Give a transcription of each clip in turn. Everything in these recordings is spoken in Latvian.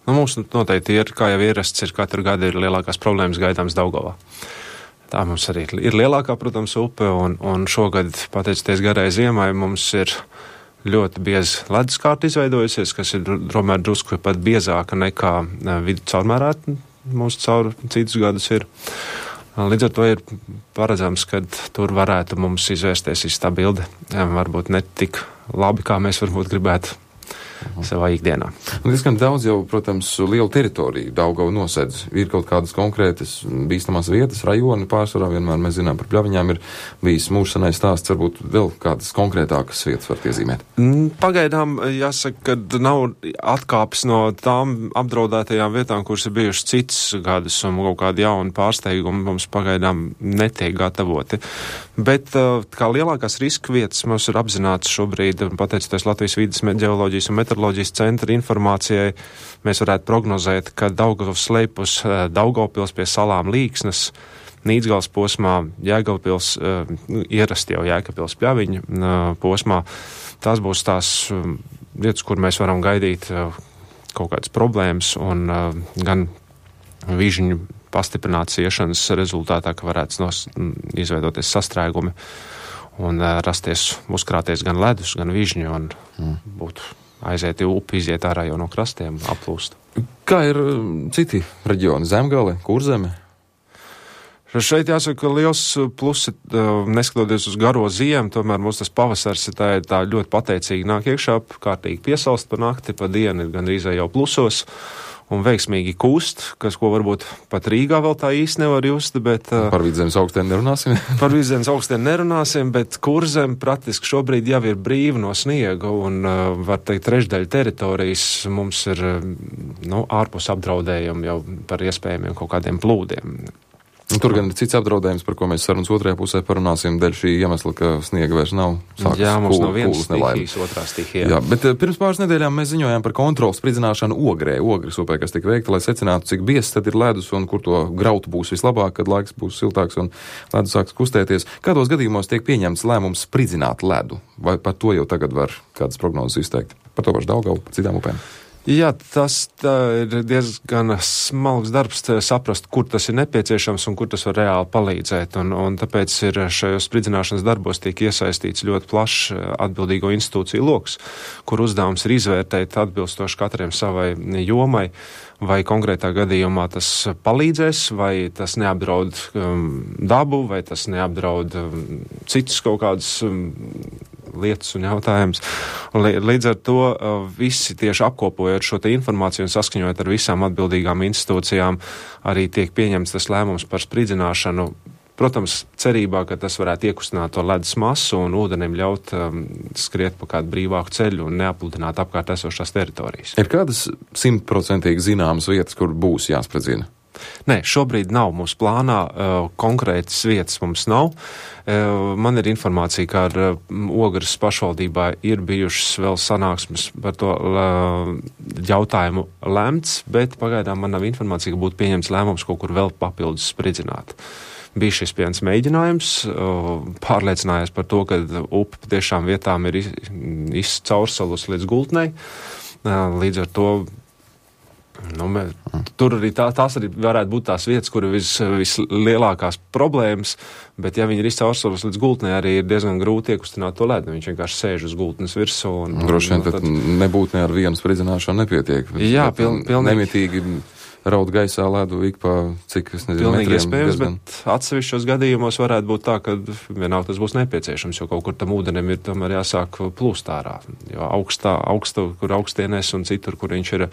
Mums noteikti ir, kā jau ierasts, katru gadu ir lielākās problēmas gaidāms Daugavā. Tā mums arī ir lielākā, protams, upe, un šogad, pateicoties garai ziemai, mums ir ļoti bieza leduskārta izveidojusies, kas ir tomēr drusku pat biezāka nekā vidu caurmērā mums caur citus gadus ir. Līdz ar to ir paredzams, ka tur varētu mums izvērsties tā bilde. Varbūt ne tik labi, kā mēs varbūt gribētu savā ikdienā. Diezgan daudz jau, protams, lielu teritoriju Daugava nosedz. Ir kaut kādas konkrētas bīstamās vietas, rajoni pārsvarā, vienmēr mēs zinām par Pļaviņām ir bijis mūžsanais stāsts, varbūt vēl kādas konkrētākas vietas var iezīmēt. Pagaidām jāsaka, ka nav atkāpes no tām apdraudētajām vietām, kuras ir bijušas citas gadus, un kaut kādi jauni pārsteigumi mums pagaidām netiek gatavoti. Bet kā lielākās riska vietas mums ir apzināts šobrīd, pateicoties Latvijas vides ģeoloģijas un meteoroloģijas centra informācijai, mēs varētu prognozēt, ka Daugavas slēpus Daugavpils pie salām Līksnes, Nīdzgales posmā, Jēkabpils, ierasti jau Jēkabpils Pļaviņa posmā. Tās būs tās vietas, kur mēs varam gaidīt kaut kādas problēmas un gan vižņu pastiprināts iešanas rezultātā, ka varētu izveidoties sastrēgumi un rasties, uzkrāties gan ledus, gan vižņi un būtu aiziet upi, iziet ārā jau no krastiem, aplūst. Kā ir citi reģioni? Zemgale, Kurzeme? Šeit jāsaka, ka liels plusi, neskatoties uz garo ziemu, tomēr mums tas pavasars ir tā ļoti pateicīgi nāk iekšā, kārtīgi piesalst pa nakti, pa dienu ir gandrīz jau plusos un veiksmīgi kūst, ko varbūt pat Rīgā vēl tā īsti nevar just, bet... Par Vidzemes augstiem nerunāsim? Par Vidzemes augstiem nerunāsim, bet Kurzem praktiski šobrīd jau ir brīva no sniega, un, var teikt, trešdaļa teritorijas mums ir, ārpus apdraudējumi jau par iespējamiem kaut kādiem plūdiem. Tur gan ir cits apdraudējums, par ko mēs sarunas otrajā pusē parunāsim, dēļ šī iemesla, ka sniega vairs nav. Jā, mums nav viens stihijas, otrā stihija. Jā, bet pirms pāris nedēļām mēs ziņojām par kontrolas spridzināšanu Ogrē, Ogres upē, kas tika veikta, lai secinātu, cik biezs tad ir ledus un kur to grautu būs vislabāk, kad laiks būs siltāks un ledus sāks kustēties. Kādos gadījumos tiek pieņemts lēmums spridzināt ledu? Vai par to jau tagad var kādas prognozes izteikt? Par to pašu Daugavu, par citām upēm? Jā, tas ir diezgan smalks darbs saprast, kur tas ir nepieciešams un kur tas var reāli palīdzēt. Un tāpēc ir šajos spridzināšanas darbos tiek iesaistīts ļoti plašs atbildīgo institūciju loks, kur uzdevums ir izvērtēt atbilstoši katram savai jomai, vai konkrētā gadījumā tas palīdzēs, vai tas neapdraud dabu, vai tas neapdraud citus kaut kādus lietas un jautājums. Līdz ar to visi tieši apkopojot šo te informāciju un saskaņojot ar visām atbildīgām institūcijām, arī tiek pieņemts tas lēmums par spridzināšanu. Protams, cerībā, ka tas varētu iekustināt to ledus masu un ūdenim ļaut skriet pa kādu brīvāku ceļu un neapludināt apkārt esošās teritorijas. Ir kādas 100% zināmas vietas, kur būs jāspridzina? Nē, šobrīd nav mūsu plānā, konkrētas vietas mums nav. Man ir informācija, ka ar Ogres pašvaldībā ir bijušas vēl sanāksmes par to jautājumu lemts, bet pagaidām man nav informācija, ka būtu pieņemts lēmums kaut kur vēl papildus spridzināt. Bija šis viens mēģinājums, pārliecinājās par to, ka upe tiešām vietām ir izcaursalus līdz gultnei. Līdz ar to tur arī tās arī varētu būt tās vietas, kur ir vislielākās problēmas, bet ja viņi ir izcaursalus līdz gultnei, arī ir diezgan grūti iekustināt to ledu. Viņš vienkārši sēž uz gultnes virsū. Droši vien tad nebūtu ne ar vienu spridzināšanu nepietiek. Jā, pilnīgi. Nemitīgi raud gaisā ledu ik pa cik, es nezinu, pilnīgi metriem. Iespējams, bet atsevišķos gadījumos varētu būt tā, ka vienalga tas būs nepieciešams, jo kaut kur tam ūdenim ir tomēr jāsāk plūst ārā. Jo kur augstienēs un citur, kur viņš ir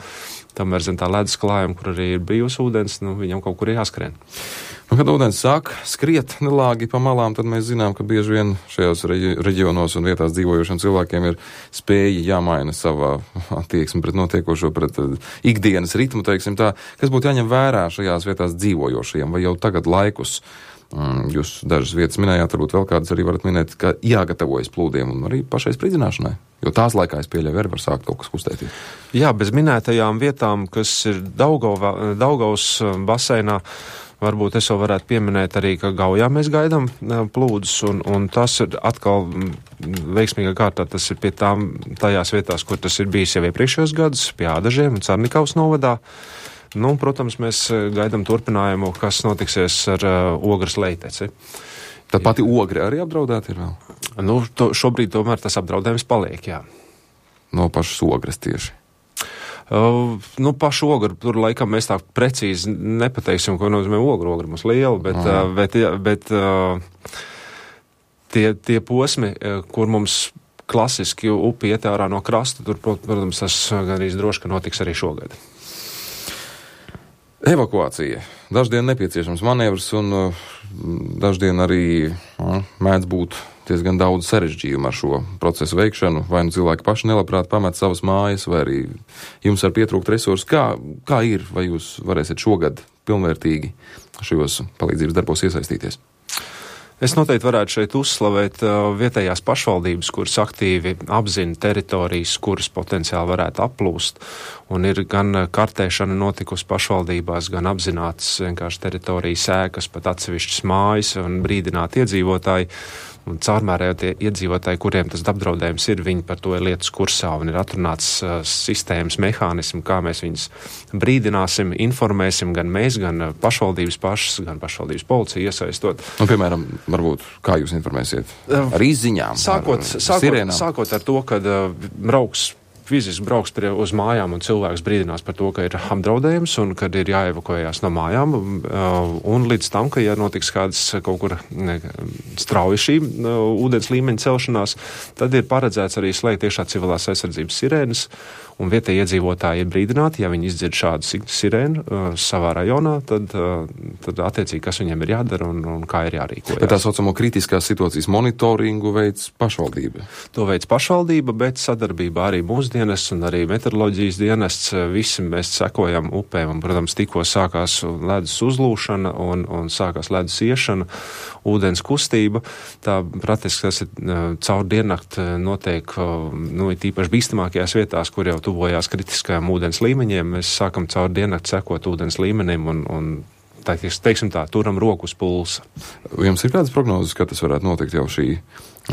tomēr zem tā ledus klājuma, kur arī ir brīvs ūdens, viņam kaut kur ir jāskrien. Kad ūdens sāk skriet nelāgi pa malām, tad mēs zinām, ka bieži vien šajos reģionos un vietās dzīvojošiem cilvēkiem ir spēja jāmaina savā attieksme pret notiekošo, pret ikdienas ritmu, teiksim tā. Kas būtu jāņem vērā šajās vietās dzīvojošiem, vai jau tagad laikus? Jūs dažas vietas minējāt, varbūt vēl kādas arī varat minēt, ka jāgatavojas plūdiem un arī pašai spridzināšanai, jo tās laikā es pieļauju arī var sākt kaut kas kustēties. Jā, bez minētajām vietām, kas ir Daugavas baseinā, Varbūt es vēl varētu pieminēt arī, ka Gaujā mēs gaidām plūdus, un tas ir atkal veiksmīgā kārtā, tas ir pie tajās vietās, kur tas ir bijis jau iepriekšējos gadus, pie Ādažiem un Carnikavas novadā. Nu, protams, mēs gaidām turpinājumu, kas notiksies ar Ogres Leiteci. Tad pati Ogre arī apdraudēta ir vēl? Nu, šobrīd tomēr tas apdraudējums paliek, jā. No pašas Ogres tieši. Nu, pašu ogru, tur laikam mēs tā precīzi nepateiksim, ko nozīmē ogru. Ogru mums liela, bet tie posmi, kur mums klasiski upi iet ārā no krasta, tur, protams, tas gan arī droši, ka notiks arī šogad. Evakuācija. Daždien nepieciešams manevrs un daždien arī mēdz būt diezgan daudz sarežģījumu ar šo procesu veikšanu, vai nu cilvēki paši nelabprāt pamet savas mājas, vai arī jums var pietrūkt resursi. Kā ir, vai jūs varēsiet šogad pilnvērtīgi šajos palīdzības darbos iesaistīties? Es noteikti varētu šeit uzslavēt vietējās pašvaldības, kuras aktīvi apzina teritorijas, kuras potenciāli varētu aplūst, un ir gan kartēšana notikusi pašvaldībās, gan apzinātas vienkārši teritorijas ēkas, pat atsevišķas mājas un brīdināt iedzīvotāji. Un caurmērējo tie iedzīvotāji, kuriem tas apdraudējums ir, viņi par to ir lietas kursā un ir atrunāts sistēmas mehānismi, kā mēs viņus brīdināsim, informēsim gan mēs, gan pašvaldības pašas, gan pašvaldības policija iesaistot. Nu, piemēram, varbūt, kā jūs informēsiet? Ar izziņām? Sākot ar to, kad fiziski brauks uz mājām un cilvēks brīdinās par to, ka ir apdraudējums un kad ir jāevakuējās no mājām, un līdz tam, ka ja notiks kādas kaut kur strauji šī ūdens līmeņa celšanās, tad ir paredzēts arī slēgt iekšā civilās aizsardzības sirēnas, un vietējie iedzīvotāji ir brīdināti, ja viņi izdzird šādu sirēnu savā rajonā, tad attiecīgi, kas viņiem ir jādara un kā ir jārīkojas. Bet tā saucamo kritiskās situācijas monitoringu veids pašvaldība? To veids pašvaldība, bet sadarbībā arī mūsu dienests un arī meteoroloģijas dienests. Visi mēs sekojam upēm, un, protams, tikko sākās ledus uzlūšana un sākās ledus iešana, ūdens kustība. Tā praktiski tas ir caur diennakt notiek, it īpaši bīstamākajās vietās, kur jau tuvojās kritiskajām ūdens līmeņiem. Mēs sākam caur diennakt sekot ūdens līmenim un teiksim tā, turam roku uz pulsa. Jums ir kādas prognozes, ka tas varētu notikt jau šī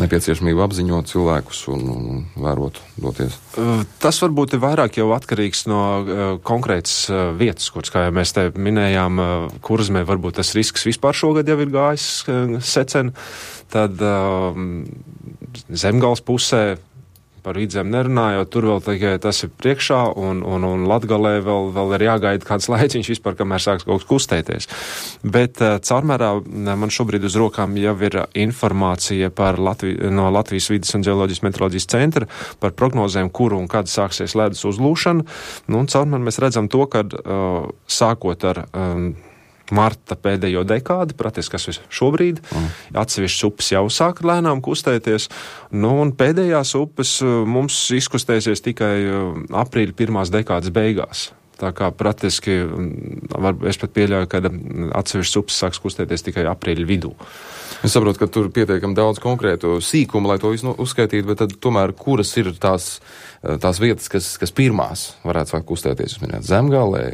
nepieciešamība apziņot cilvēkus un vērot doties? Tas varbūt ir vairāk jau atkarīgs no konkrētas vietas, kuras, kā jau mēs te minējām, Kurzemē varbūt tas risks vispār šogad jau ir gājis secen, tad Zemgales pusē par Vidzem nerunājot, tur vēl tikai tas ir priekšā, un Latgalē vēl ir jāgaida kāds laiciņš vispār, kamēr sāks kaut kas kustēties. Bet caurmērā man šobrīd uz rokām jau ir informācija no Latvijas vides un ģeoloģijas meteoroloģijas centra par prognozēm, kuru un kad sāksies ledus uzlūšana. Nu, un caurmēr mēs redzam to, kad sākot ar marta pēdējo dekādi, praktiski kas šobrīd, atsevišķas upes jau sāk lēnām kustēties, un pēdējās upes mums izkustēsies tikai aprīļa pirmās dekādas beigās. Tā kā praktiski, es pat pieļauju, ka atsevišķas upes sāks kustēties tikai aprīļa vidū. Es saprotu, ka tur pietiekam daudz konkrētu sīkumu, lai to visu uzskaitītu, bet tad tomēr kuras ir tās vietas, kas pirmās varētu sākt kustēties? Jūs minējāt Zemgalē,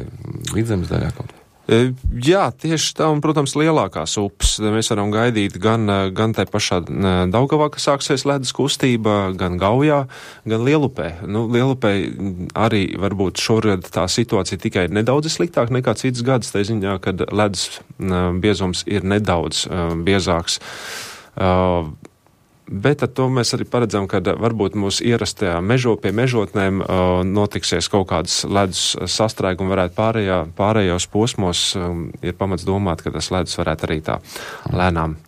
Vidzemes daļā kaut kā? Jā, tieši tā, un, protams, lielākās upes. Mēs varam gaidīt gan tai pašā Daugavā, ka sāksies ledus kustība, gan Gaujā, gan Lielupē. Lielupē arī varbūt šogad tā situācija tikai nedaudz sliktāk nekā cits gads, tā ziņā, kad ledus biezums ir nedaudz biezāks. Bet ar to mēs arī paredzam, ka varbūt mūsu ierastajā pie mežotnēm notiksies kaut kādas ledus sastrēgumi, varētu pārējos posmos ir pamats domāt, ka tas ledus varētu arī tā lēnām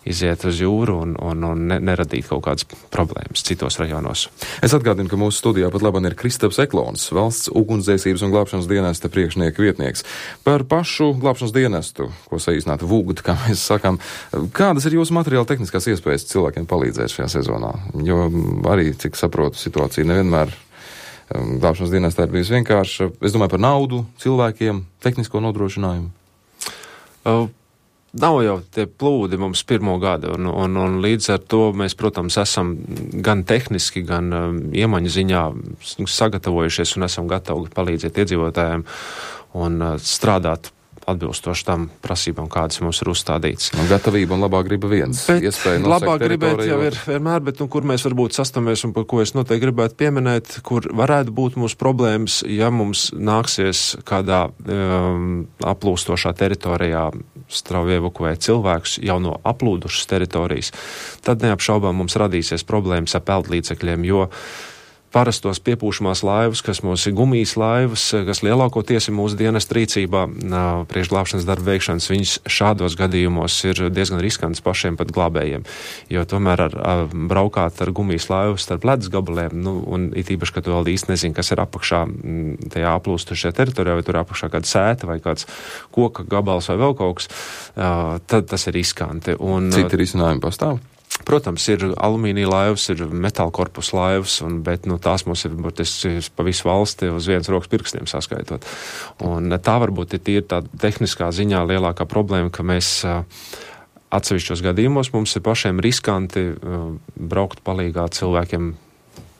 iziet uz jūru un neradīt kaut kādas problēmas citos rajonos. Es atgādinu, ka mūsu studijā pat labāk ir Kristaps Eklons, valsts ugunsdzēsības un glābšanas dienesta priekšnieka vietnieks. Par pašu glābšanas dienestu, ko saīsinātu VUGD, kā mēs sakām, kādas ir jūsu materiāla tehniskās iespējas cilvēkiem palīdzēt šajā sezonā? Jo arī, cik saprotu, situācija nevienmēr glābšanas dienestā ir bijusi vienkārša. Es domāju par naudu, cilvēkiem, tehnisko nodrošinājumu. Nav jau tie plūdi mums pirmo gadu, un līdz ar to mēs, protams, esam gan tehniski, gan iemaņu ziņā sagatavojušies un esam gatavi palīdzēt iedzīvotājiem un strādāt atbilstoši tam prasībām, kādas mums ir uzstādītas. Gatavība un labā griba viens. Labā gribēt jau ir vienmēr, bet kur mēs varbūt sastamies un par ko es noteikti gribētu pieminēt, kur varētu būt mūsu problēmas, ja mums nāksies kādā aplūstošā teritorijā strauji evakuēt cilvēkus jau no aplūdušas teritorijas, tad neapšaubām mums radīsies problēmas ar peldlīdzekļiem, jo parastos piepūšamās laivas, kas mums ir gumijas laivas, kas lielākoties ir mūsu dienesta rīcībā priekšglābšanas darba veikšanas, viņas šādos gadījumos ir diezgan riskants pašiem pat glābējiem, jo tomēr braukāt ar gumijas laivu starp ledus gabaliem, un it īpaši, ka tu vēl īsti nezini, kas ir apakšā tajā aplūstušajā teritorijā, vai tur apakšā kāda sēta vai kāds koka gabals vai vēl kaut kas, tad tas ir riskanti. Citi risinājumi pastāv? Protams, ir alumīnija laivas, ir metāla korpusa laivas, bet tās mums ir pa visu valsti uz vienas rokas pirkstiem saskaitot. Un tā varbūt ir tīri tā tehniskā ziņā lielākā problēma, ka mēs atsevišķos gadījumos mums ir pašiem riskanti braukt palīgā cilvēkiem,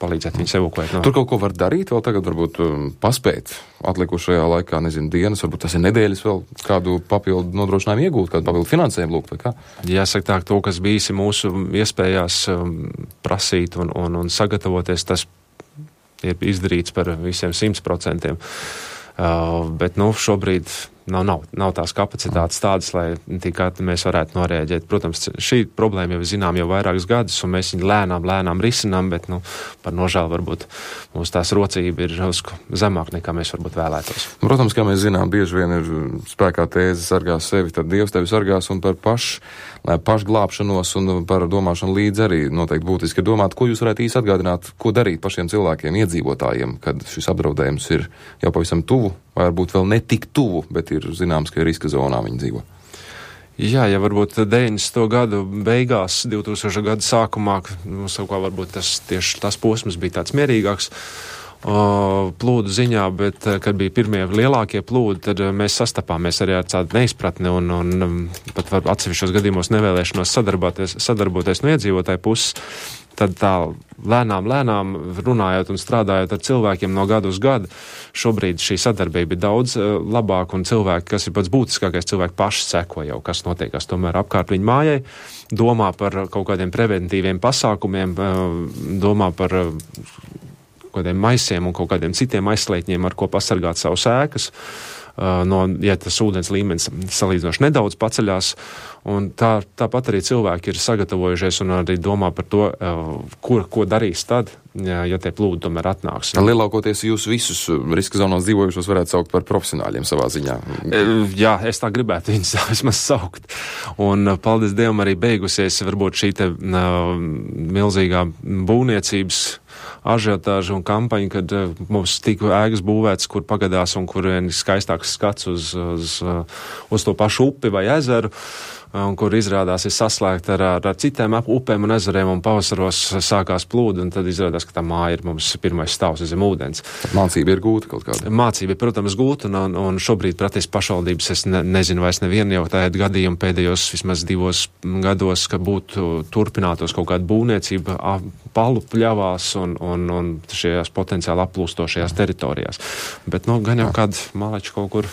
palīdzēt viņus evakuēt. Tur kaut ko var darīt, vēl tagad varbūt paspēt atlikušajā laikā, dienas, varbūt tas ir nedēļas vēl kādu papildu nodrošinājumu iegūt, kādu papildu finansējumu lūgt, vai kā? Jāsaka tā, to, kas bijis mūsu iespējās prasīt un sagatavoties, tas ir izdarīts par visiem 100%. Bet šobrīd nav tās kapacitātes tādas, lai tikai mēs varētu norēģēt. Protams, šī problēma jau zinām jau vairākus gadus, un mēs viņu lēnām risinām, bet par nožēlu varbūt mūsu tās rocība ir zemāk nekā mēs varbūt vēlētos. Protams, kā mēs zinām, bieži vien ir spēkā tēze sargās sevi, tad Dievs tevi sargās, un par pašglābšanos un par domāšanu līdz arī noteikti būtiski domāt, ko jūs varētu īsti atgādināt, ko darīt pašiem cilvēkiem, iedzīvotājiem, kad šis apdraudējums ir jau pavisam tuvu, vai varbūt vēl ne tik tuvu, bet ir zināms, ka ir riska zonā viņi dzīvo. Jā, ja varbūt 90. gadu beigās, 2000. gada sākumā, varbūt tas posms bija tāds mierīgāks plūdu ziņā, bet, kad bija pirmie lielākie plūdi, tad mēs sastapāmies arī ar tādu neizpratni un pat atsevišķos gadījumos nevēlēšanos sadarboties no iedzīvotāju puses. Tad tā lēnām runājot un strādājot ar cilvēkiem no gadu uz gadu, šobrīd šī sadarbība ir daudz labāka, un cilvēki, kas ir pats būtiskākais, cilvēki paši seko jau, kas notiekās tomēr apkārt viņu mājai, domā par kaut kādiem preventīviem pasākumiem, domā par kādiem maisiem un kaut kādiem citiem aizslētņiem, ar ko pasargāt savus ēkas. Ja tas ūdens līmenis salīdzinoši nedaudz paceļās, un tāpat arī cilvēki ir sagatavojušies un arī domā par to, ko darīs tad, ja tie plūdi tomēr atnāks. Lielākoties jūs visus riska zonās dzīvojušos varētu saukt par profesionāļiem savā ziņā. Jā, es tā gribētu viņus vismaz saukt. Un paldies Dievam arī beigusies varbūt šī te milzīgā būvniecības ažiotāža un kampaņa, kad mums tika ēkas būvētas, kur pagadās un kur ir skaistāks skats uz to pašu upi vai ezeru, un kur izrādās ir saslēgta ar citiem upēm un ezeriem, un pavasaros sākās plūdi, un tad izrādās, ka tā māja ir mums pirmais stāvs zem ūdens. Mācība ir gūta kaut kāda? Mācība ir, protams, gūta, un šobrīd praktiski pašvaldības es nezinu vairs nevienu jau tādu gadījumu pēdējos vismaz 2 gados, ka būtu turpinātos kaut kāda būvniecība palu pļavās un šajās potenciāli aplūstošajās teritorijās. Bet, gan jau kāda malača kaut kur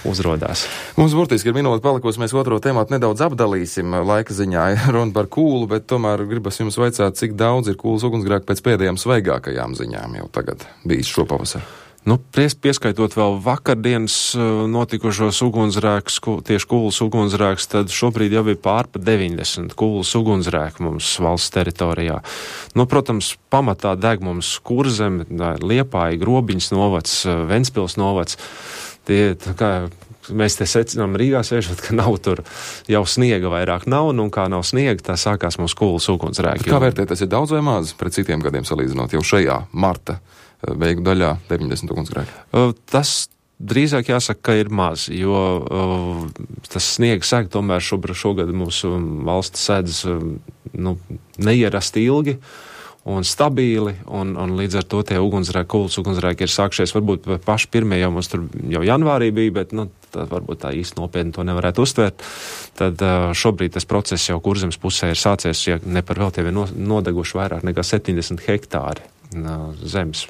uzrodās. Mums burtiski ir minūte palikusi, mēs otro tematu nedaudz apdalīsim laika ziņā. Runa par kūlu, bet tomēr gribas jums vaicāt, cik daudz ir kūlas ugunsgrēku pēc pēdējām svaigākajām ziņām jau tagad bijis šopavasar. Pieskaitot vēl vakardienas notikušos ugunsgrēkus, tieši kūlas ugunsgrēkus, tad šobrīd jau ir pār pa 90 kūlas ugunsgrēku mums valsts teritorijā. Protams, pamatā deg mums Kurzeme, Liepāja, Grobiņas novads, Ventspils novads. Mēs te secinām Rīgā sēžot, ka nav tur jau sniega vairāk nav, un kā nav sniega, tā sākās mūsu kūlas ugunsgrēki. Kā vērtēt, tas ir daudz vai maz pret citiem gadiem salīdzinot jau šajā marta beigu daļā 90 ugunsgrēki? Tas drīzāk jāsaka, ka ir maz, jo tas sniega sēg tomēr šogad mūsu valsts sēdz neierasti ilgi un stabīli, un līdz ar to tie kūlas ugunsgrēki ir sākšies, varbūt paši pirmie jau mums tur jau janvārī bija, bet tad varbūt tā īsti nopietni to nevarētu uztvert. Tad šobrīd tas process jau Kurzemes pusē ir sācies, ja ne par vēl tie ir nodeguši vairāk nekā 70 hektāri zemes